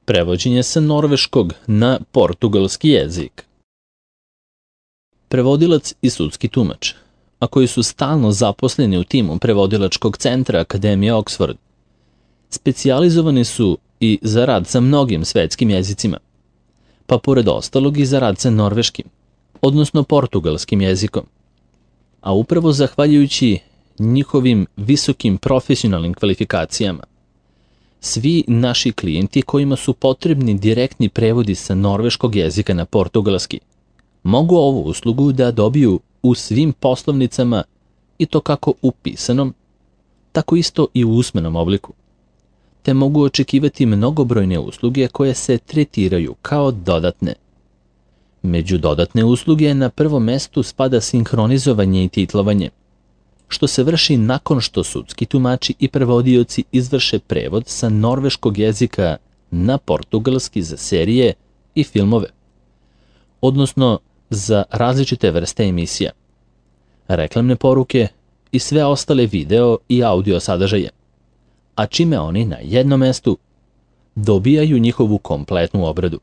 Prevođenje sa norveškog na portugalski jezik. Prevodilac i sudski tumač, a koji su stalno zaposleni u timu prevodilačkog centra Akademije Oxford, specijalizovani su i za rad sa mnogim svetskim jezicima, pa pored ostalog i za rad sa norveškim, odnosno portugalskim jezikom. A upravo zahvaljujući njihovim visokim profesionalnim kvalifikacijama, svi naši klijenti kojima su potrebni direktni prevodi sa norveškog jezika na portugalski mogu ovu uslugu da dobiju u svim poslovnicama i to kako u pisanom, tako isto i u usmenom obliku, te mogu očekivati mnogobrojne usluge koje se tretiraju kao dodatne. Među dodatne usluge na prvom mestu spada sinhronizovanje i titlovanje, što se vrši nakon što sudski tumači i prevodioci izvrše prevod sa norveškog jezika na portugalski za serije i filmove, odnosno za različite vrste emisija, reklamne poruke i sve ostale video i audio sadržaje, a čime oni na jednom mestu dobijaju njihovu kompletnu obradu,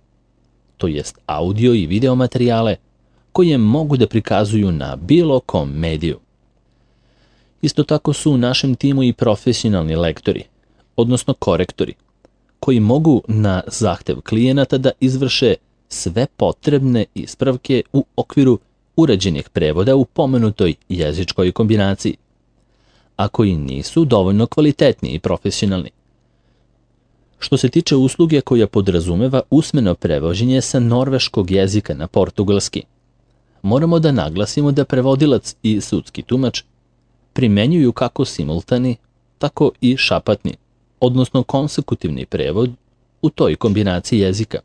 to jest audio i video materijale koje mogu da prikazuju na bilo kom mediju. Isto tako su u našem timu i profesionalni lektori, odnosno korektori, koji mogu na zahtev klijenata da izvrše sve potrebne ispravke u okviru urađenih prevoda u pomenutoj jezičkoj kombinaciji, a koji nisu dovoljno kvalitetni i profesionalni. Što se tiče usluge koja podrazumeva usmeno prevođenje sa norveškog jezika na portugalski, moramo da naglasimo da prevodilac i sudski tumač primenjuju kako simultani, tako i šapatni, odnosno konsekutivni prevod u toj kombinaciji jezika.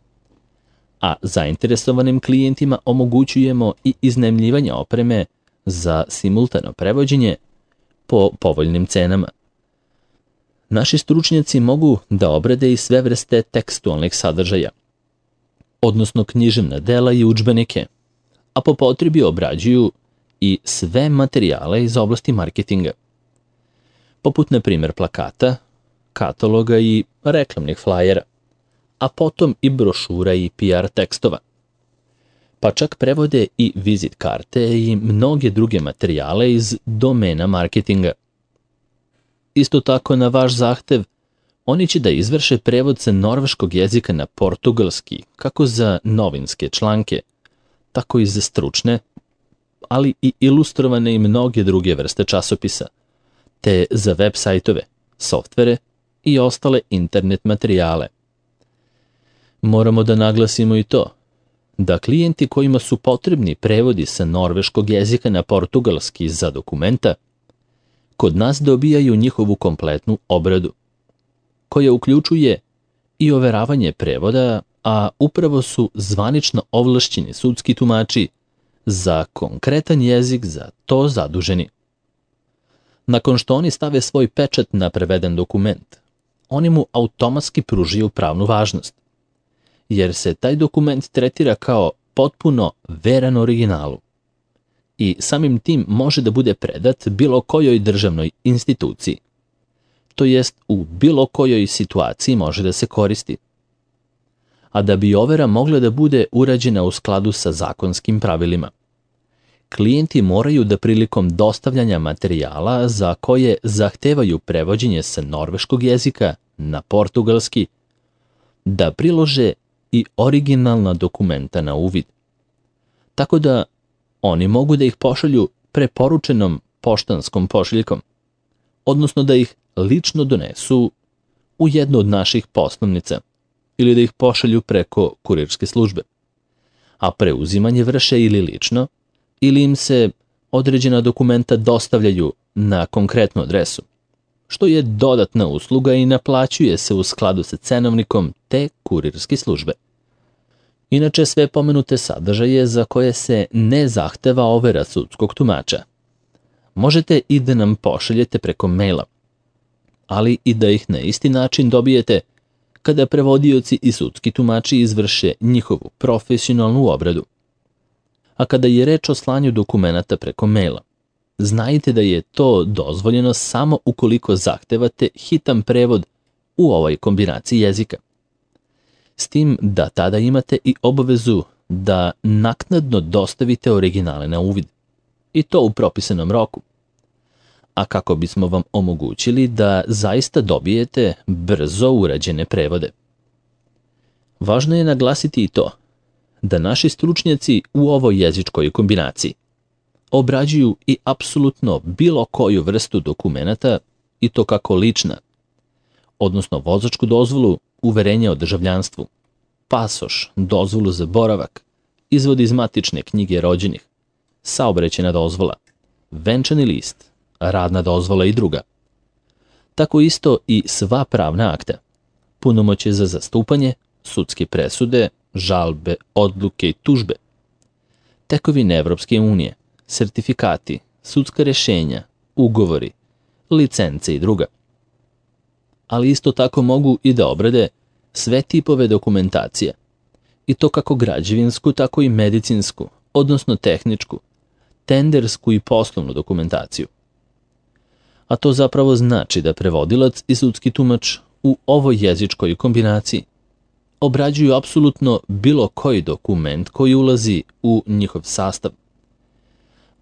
A zainteresovanim klijentima omogućujemo i iznajmljivanje opreme za simultano prevođenje po povoljnim cenama. Naši stručnjaci mogu da obrade i sve vrste tekstualnih sadržaja, odnosno književna dela i udžbenike, a po potrebi obrađuju i sve materijale iz oblasti marketinga, poput na primjer plakata, kataloga i reklamnih flajera, a potom i brošura i PR tekstova. Pa čak prevode i vizit karte i mnoge druge materijale iz domena marketinga. Isto tako na vaš zahtev, oni će da izvrše prevod sa norveškog jezika na portugalski, kako za novinske članke, tako i za stručne, ali i ilustrovane i mnoge druge vrste časopisa, te za web sajtove, softvere i ostale internet materijale. Moramo da naglasimo i to, da klijenti kojima su potrebni prevodi sa norveškog jezika na portugalski za dokumenta, kod nas dobijaju njihovu kompletnu obradu, koja uključuje i overavanje prevoda, a upravo su zvanično ovlašćeni sudski tumači za konkretan jezik za to zaduženi. Nakon što oni stave svoj pečat na preveden dokument, oni mu automatski pružaju pravnu važnost, jer se taj dokument tretira kao potpuno veran originalu i samim tim može da bude predat bilo kojoj državnoj instituciji, to jest u bilo kojoj situaciji može da se koristi. A da bi overa mogla da bude urađena u skladu sa zakonskim pravilima, klijenti moraju da prilikom dostavljanja materijala za koje zahtevaju prevođenje sa norveškog jezika na portugalski, da prilože i originalna dokumenta na uvid, tako da oni mogu da ih pošalju preporučenom poštanskom pošiljkom, odnosno da ih lično donesu u jednu od naših poslovnica ili da ih pošalju preko kurirske službe, a preuzimanje vrše ili lično, ili im se određena dokumenta dostavljaju na konkretnu adresu, što je dodatna usluga i naplaćuje se u skladu sa cenovnikom te kurirske službe. Inače, sve pomenute sadržaje za koje se ne zahteva overa sudskog tumača, možete i da nam pošaljete preko maila, ali i da ih na isti način dobijete kada prevodioci i sudski tumači izvrše njihovu profesionalnu obradu. A kada je reč o slanju dokumenata preko maila, znajte da je to dozvoljeno samo ukoliko zahtevate hitan prevod u ovoj kombinaciji jezika. s tim da tada imate i obavezu da naknadno dostavite originale na uvid, i to u propisanom roku. A kako bismo vam omogućili da zaista dobijete brzo urađene prevode. Važno je naglasiti i to da naši stručnjaci u ovoj jezičkoj kombinaciji obrađuju i apsolutno bilo koju vrstu dokumenata, i to kako lična, odnosno vozačku dozvolu, uverenje o državljanstvu, pasoš, dozvolu za boravak, izvod iz matične knjige rođenih, saobraćajna dozvola, venčani list, radna dozvola i druga. Tako isto i sva pravna akta, punomoćje za zastupanje, sudske presude, žalbe, odluke i tužbe, tekovine Evropske unije, sertifikati, sudska rješenja, ugovori, licence i druga. Ali isto tako mogu i da obrade sve tipove dokumentacije, i to kako građevinsku, tako i medicinsku, odnosno tehničku, tendersku i poslovnu dokumentaciju. A to zapravo znači da prevodilac i sudski tumač u ovoj jezičkoj kombinaciji obrađuju apsolutno bilo koji dokument koji ulazi u njihov sastav.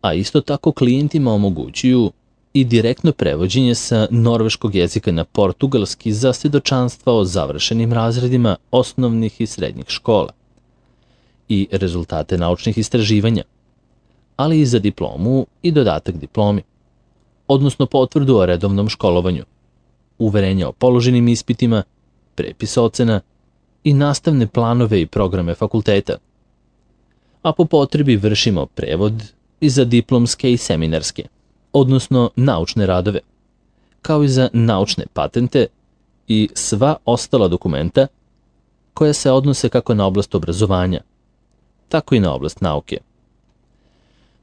A isto tako klijentima omogućuju i direktno prevođenje sa norveškog jezika na portugalski za svjedočanstva o završenim razredima osnovnih i srednjih škola i rezultate naučnih istraživanja, ali i za diplomu i dodatak diplomi, odnosno potvrdu o redovnom školovanju, uverenja o položenim ispitima, prepis ocena i nastavne planove i programe fakulteta. A po potrebi vršimo prevod i za diplomske i seminarske, odnosno naučne radove, kao i za naučne patente i sva ostala dokumenta koja se odnose kako na oblast obrazovanja, tako i na oblast nauke.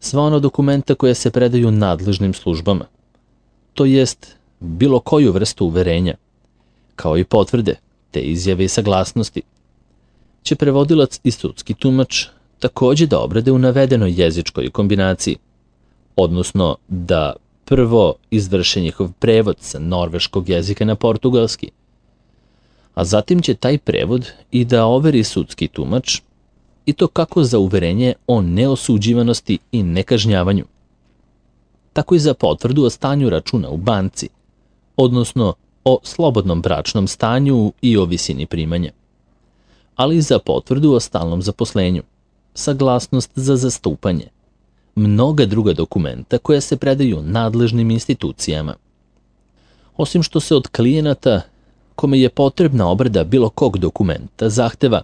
Sva ona dokumenta koja se predaju nadležnim službama, to jest bilo koju vrstu uverenja, kao i potvrde, te izjave i saglasnosti, će prevodilac i sudski tumač takođe da obrade u navedenoj jezičkoj kombinaciji, odnosno da prvo izvrše njihov prevod sa norveškog jezika na portugalski, a zatim će taj prevod i da overi sudski tumač, i to kako za uverenje o neosuđivanosti i nekažnjavanju, tako i za potvrdu o stanju računa u banci, odnosno o slobodnom bračnom stanju i o visini primanja, ali i za potvrdu o stalnom zaposlenju, saglasnost za zastupanje, mnoga druga dokumenta koja se predaju nadležnim institucijama. Osim što se od klijenata kome je potrebna obrada bilo kog dokumenta zahteva,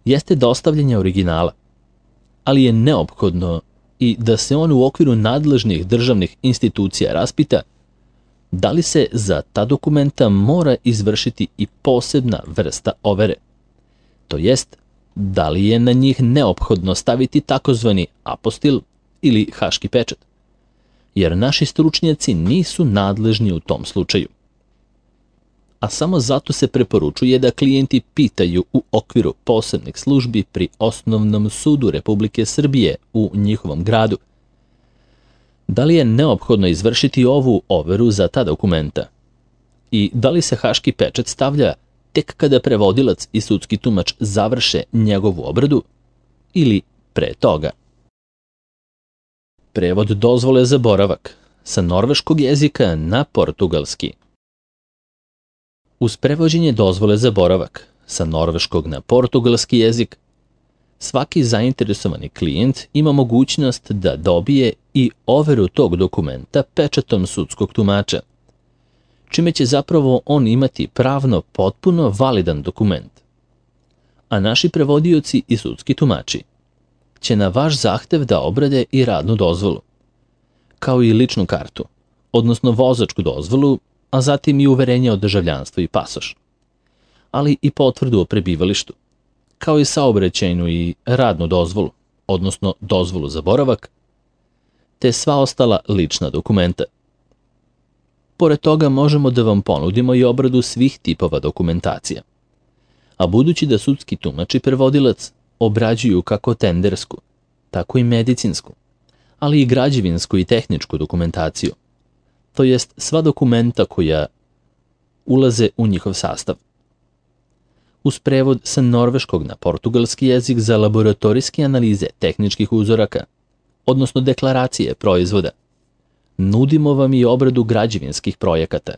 jeste dostavljanje originala, ali je neophodno i da se on u okviru nadležnih državnih institucija raspita da li se za ta dokumenta mora izvršiti i posebna vrsta overe, to jest da li je na njih neophodno staviti takozvani apostil ili haški pečat, jer naši stručnjaci nisu nadležni u tom slučaju. A samo zato se preporučuje da klijenti pitaju u okviru posebnih službi pri Osnovnom sudu Republike Srbije u njihovom gradu da li je neophodno izvršiti ovu overu za ta dokumenta i da li se haški pečat stavlja tek kada prevodilac i sudski tumač završe njegovu obradu ili pre toga. Prevod dozvole za boravak sa norveškog jezika na portugalski. Uz prevođenje dozvole za boravak sa norveškog na portugalski jezik, svaki zainteresovani klijent ima mogućnost da dobije i overu tog dokumenta pečatom sudskog tumača, čime će zapravo on imati pravno potpuno validan dokument. A naši prevodioci i sudski tumači će na vaš zahtev da obrade i radnu dozvolu, kao i ličnu kartu, odnosno vozačku dozvolu, a zatim i uverenje o državljanstvu i pasoš, ali i potvrdu o prebivalištu, kao i saobraćajnu i radnu dozvolu, odnosno dozvolu za boravak, te sva ostala lična dokumenta. Pored toga možemo da vam ponudimo i obradu svih tipova dokumentacija. A budući da sudski tumač i prevodilac obrađuju kako tendersku, tako i medicinsku, ali i građevinsku i tehničku dokumentaciju, to jest sva dokumenta koja ulaze u njihov sastav. uz prevod sa norveškog na portugalski jezik za laboratorijske analize tehničkih uzoraka, odnosno deklaracije proizvoda. Nudimo vam i obradu građevinskih projekata,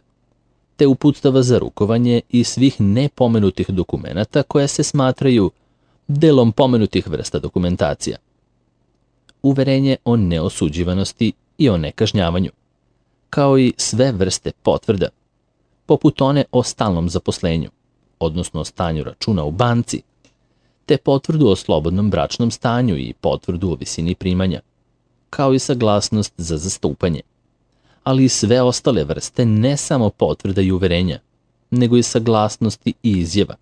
te uputstava za rukovanje i svih nepomenutih dokumenata koje se smatraju delom pomenutih vrsta dokumentacija. Uverenje o neosuđivanosti i o nekažnjavanju, kao i sve vrste potvrda, poput one o stalnom zaposlenju, odnosno o stanju računa u banci, te potvrdu o slobodnom bračnom stanju i potvrdu o visini primanja, kao i saglasnost za zastupanje, ali i sve ostale vrste ne samo potvrda i uverenja, nego i saglasnosti i izjava.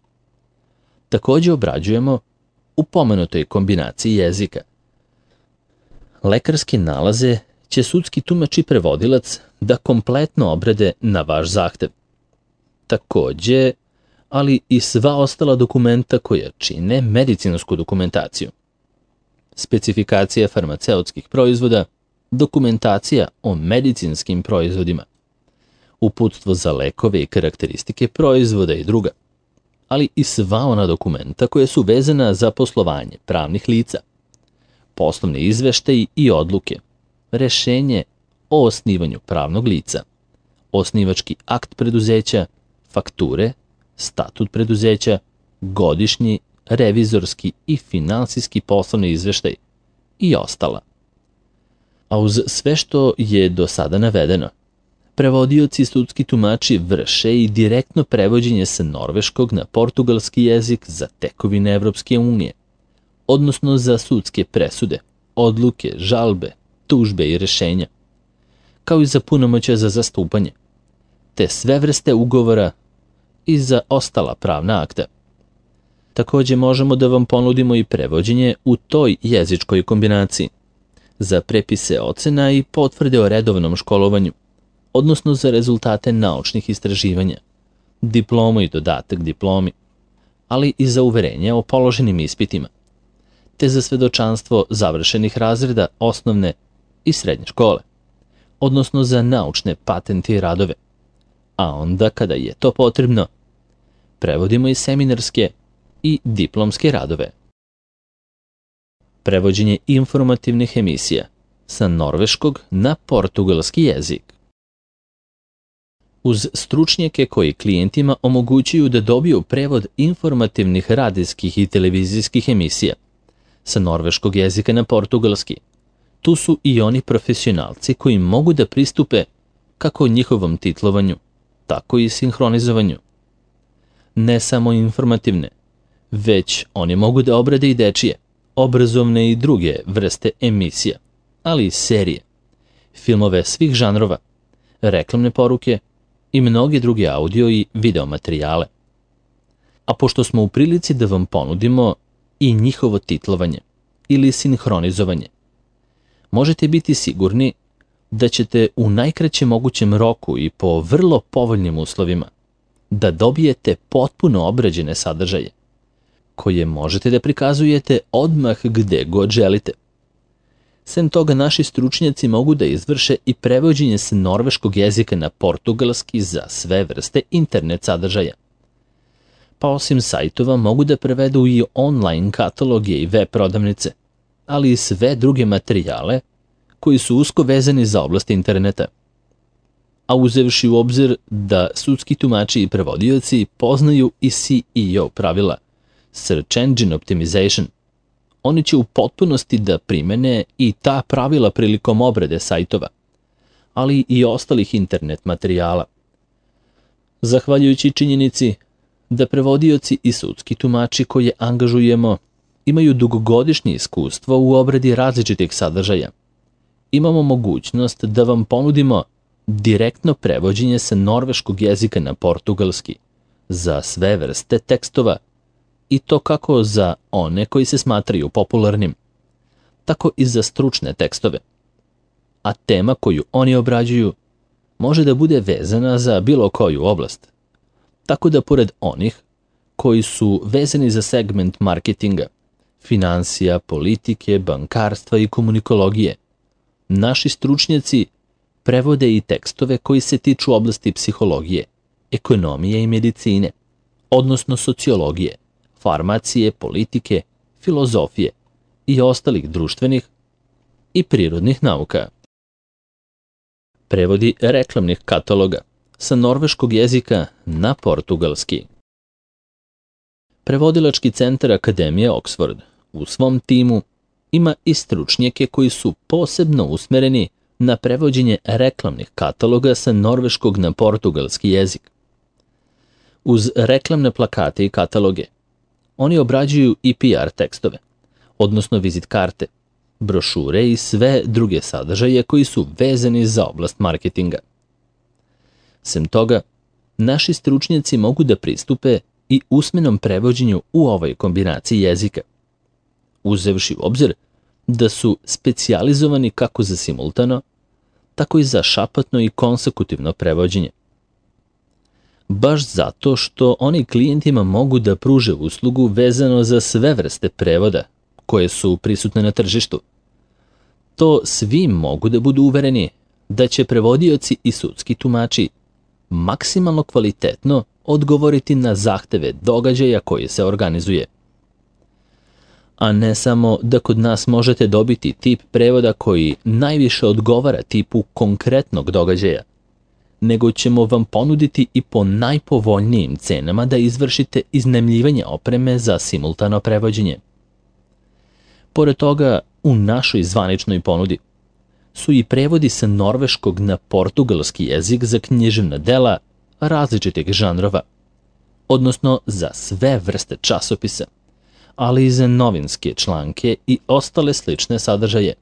Takođe obrađujemo u pomenutoj kombinaciji jezika. Lekarske nalaze će sudski tumač i prevodilac da kompletno obrade na vaš zahtev. Takođe, ali i sva ostala dokumenta koja čine medicinsku dokumentaciju. Specifikacija farmaceutskih proizvoda, dokumentacija o medicinskim proizvodima, uputstvo za lekove i karakteristike proizvoda i druga, ali i sva ona dokumenta koja su vezana za poslovanje pravnih lica, poslovni izveštaji i odluke, rešenje o osnivanju pravnog lica, osnivački akt preduzeća, fakture, statut preduzeća, godišnji, revizorski i finansijski poslovni izveštaj i ostala. A uz sve što je do sada navedeno, prevodioci i sudski tumači vrše i direktno prevođenje sa norveškog na portugalski jezik za tekovine Evropske unije, odnosno za sudske presude, odluke, žalbe, tužbe i rešenja, kao i za punomoćja za zastupanje, te sve vrste ugovora i za ostala pravna akta. Takođe možemo da vam ponudimo i prevođenje u toj jezičkoj kombinaciji, za prepise ocena i potvrde o redovnom školovanju, odnosno za rezultate naučnih istraživanja, diplomu i dodatak diplomi, ali i za uverenje o položenim ispitima, te za svedočanstvo završenih razreda osnovne i srednje škole, odnosno za naučne patente i radove, a onda kada je to potrebno, prevodimo i seminarske i diplomske radove. Prevođenje informativnih emisija sa norveškog na portugalski jezik. Uz stručnjake koji klijentima omogućuju da dobiju prevod informativnih radijskih i televizijskih emisija sa norveškog jezika na portugalski, tu su i oni profesionalci koji mogu da pristupe kako njihovom titlovanju, tako i sinhronizovanju. Ne samo informativne, već oni mogu da obrade i dečije, obrazovne i druge vrste emisija, ali i serije, filmove svih žanrova, reklamne poruke i mnoge druge audio i video materijale. A pošto smo u prilici da vam ponudimo i njihovo titlovanje ili sinhronizovanje, možete biti sigurni da ćete u najkraćem mogućem roku i po vrlo povoljnim uslovima da dobijete potpuno obrađene sadržaje, koje možete da prikazujete odmah gde god želite. Sem toga, naši stručnjaci mogu da izvrše i prevođenje sa norveškog jezika na portugalski za sve vrste internet sadržaja. Pa osim sajtova mogu da prevedu i online kataloge i web prodavnice, ali i sve druge materijale koji su usko vezani za oblast interneta. A uzevši u obzir da sudski tumači i prevodioci poznaju i SEO pravila, Search Engine Optimization, oni će u potpunosti da primene i ta pravila prilikom obrade sajtova, ali i ostalih internet materijala. Zahvaljujući činjenici da prevodioci i sudski tumači koje angažujemo imaju dugogodišnje iskustvo u obradi različitih sadržaja, imamo mogućnost da vam ponudimo direktno prevođenje sa norveškog jezika na portugalski za sve vrste tekstova, i to kako za one koji se smatraju popularnim, tako i za stručne tekstove. A tema koju oni obrađuju može da bude vezana za bilo koju oblast. Tako da pored onih koji su vezani za segment marketinga, finansija, politike, bankarstva i komunikologije, naši stručnjaci prevode i tekstove koji se tiču oblasti psihologije, ekonomije i medicine, odnosno sociologije, farmacije, politike, filozofije i ostalih društvenih i prirodnih nauka. Prevodi reklamnih kataloga sa norveškog jezika na portugalski. Prevodilački centar Akademije Oxford u svom timu ima i stručnjake koji su posebno usmereni na prevođenje reklamnih kataloga sa norveškog na portugalski jezik. Uz reklamne plakate i kataloge, oni obrađuju i PR tekstove, odnosno vizit karte, brošure i sve druge sadržaje koji su vezani za oblast marketinga. Sem toga, naši stručnjaci mogu da pristupe i usmenom prevođenju u ovoj kombinaciji jezika, uzevši u obzir da su specijalizovani kako za simultano, tako i za šapatno i konsekutivno prevođenje. Baš zato što oni klijentima mogu da pruže uslugu vezano za sve vrste prevoda koje su prisutne na tržištu. To svi mogu da budu uvereni da će prevodioci i sudski tumači maksimalno kvalitetno odgovoriti na zahteve događaja koji se organizuje. A ne samo da kod nas možete dobiti tip prevoda koji najviše odgovara tipu konkretnog događaja, nego ćemo vam ponuditi i po najpovoljnijim cenama da izvršite iznajmljivanje opreme za simultano prevođenje. Pored toga, u našoj zvaničnoj ponudi su i prevodi sa norveškog na portugalski jezik za književna dela različitih žanrova, odnosno za sve vrste časopisa, ali i za novinske članke i ostale slične sadržaje.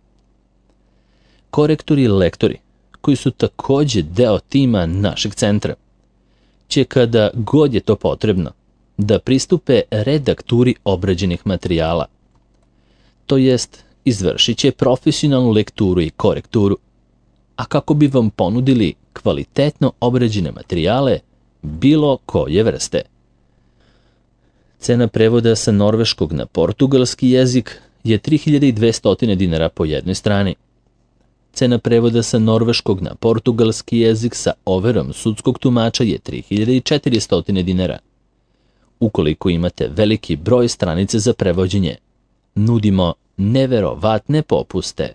Korektori i lektori, koji su takođe deo tima našeg centra, će kada god je to potrebno da pristupe redakturi obrađenih materijala, to jest izvršit će profesionalnu lekturu i korekturu, a kako bi vam ponudili kvalitetno obrađene materijale bilo koje vrste. Cena prevoda sa norveškog na portugalski jezik je 3200 dinara po jednoj strani. Cena prevoda sa norveškog na portugalski jezik sa overom sudskog tumača je 3400 dinara. Ukoliko imate veliki broj stranice za prevođenje, nudimo neverovatne popuste.